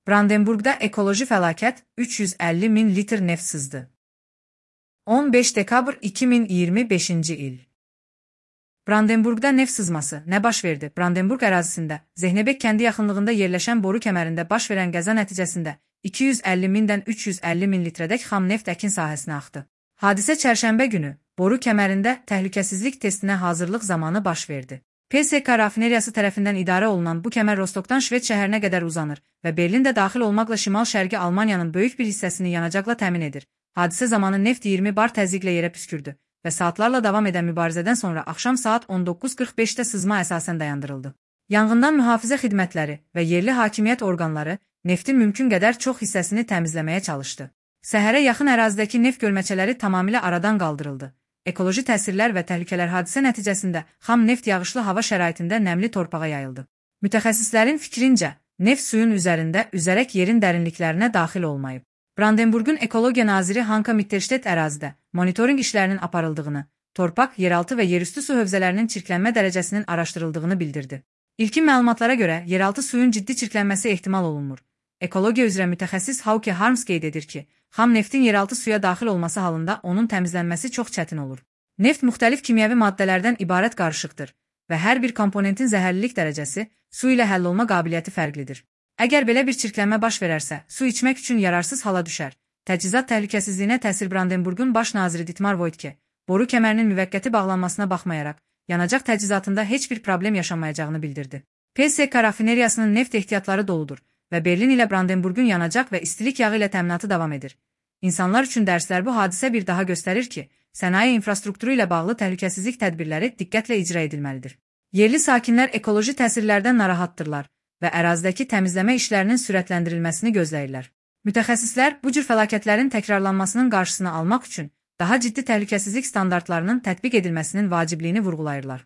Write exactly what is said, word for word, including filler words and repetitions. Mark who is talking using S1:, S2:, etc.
S1: Brandenburqda ekoloji fəlakət üç yüz əlli min litr neft sızdı. on beş dekabr iki min iyirmi beşinci il. Brandenburqda neft sızması nə baş verdi? Brandenburq ərazisində, Zehnebek kəndi yaxınlığında yerləşən boru kəmərində baş verən qəza nəticəsində iki yüz əlli mindən üç yüz əlli min litrədək xam neft əkin sahəsinə axdı. Hadisə çərşənbə günü boru kəmərində təhlükəsizlik testinə hazırlıq zamanı baş verdi. P S K rafineriyası tərəfindən idarə olunan bu kəmər Rostokdan Şved şəhərinə qədər uzanır və Berlin də daxil olmaqla şimal-şərqi Almaniyanın böyük bir hissəsini yanacaqla təmin edir. Hadisə zamanı neft iyirmi bar təzyiqlə yerə püskürdü və saatlarla davam edən mübarizədən sonra axşam saat on doqquz qırx beşdə sızma əsasən dayandırıldı. Yanğından mühafizə xidmətləri və yerli hakimiyyət orqanları neftin mümkün qədər çox hissəsini təmizləməyə çalışdı. Səhərə yaxın ərazidəki neft gölməçələri tamamilə aradan qaldırıldı. Ekoloji təsirlər və təhlükələr hadisə nəticəsində xam neft yağışlı hava şəraitində nəmli torpağa yayıldı. Mütəxəssislərin fikrincə, neft suyun üzərində üzərək yerin dərinliklərinə daxil olmayıb. Brandenburqun ekologiya naziri Hanka Mittelstedt ərazidə monitorinq işlərinin aparıldığını, torpaq, yeraltı və yerüstü su hövzələrinin çirklənmə dərəcəsinin araşdırıldığını bildirdi. İlkin məlumatlara görə yeraltı suyun ciddi çirklənməsi ehtimal olunmur. Ekologiya üzrə mütəxəssis Hauke Harms qeyd edir ki, xam neftin yeraltı suya daxil olması halında onun təmizlənməsi çox çətin olur. Neft müxtəlif kimyəvi maddələrdən ibarət qarışıqdır və hər bir komponentin zəhərlilik dərəcəsi su ilə həll olma qabiliyyəti fərqlidir. Əgər belə bir çirklənmə baş verərsə, su içmək üçün yararsız hala düşər. Təchizat təhlükəsizliyinə təsir Brandenburqun baş naziri Dietmar Woidke, boru kəmərinin müvəqqəti bağlanmasına baxmayaraq, yanacaq təchizatında heç bir problem yaşanmayacağını bildirdi. P S K rafineriyasının neft ehtiyatları doludur və Berlin ilə Brandenburqun yanacaq və istilik yağı ilə təminatı davam edir. İnsanlar üçün dərslər bu hadisə bir daha göstərir ki, sənaye infrastrukturu ilə bağlı təhlükəsizlik tədbirləri diqqətlə icra edilməlidir. Yerli sakinlər ekoloji təsirlərdən narahatdırlar və ərazidəki təmizləmə işlərinin sürətləndirilməsini gözləyirlər. Mütəxəssislər bu cür fəlakətlərin təkrarlanmasının qarşısını almaq üçün daha ciddi təhlükəsizlik standartlarının tətbiq edilməsinin vacibliyini vurğulayırlar.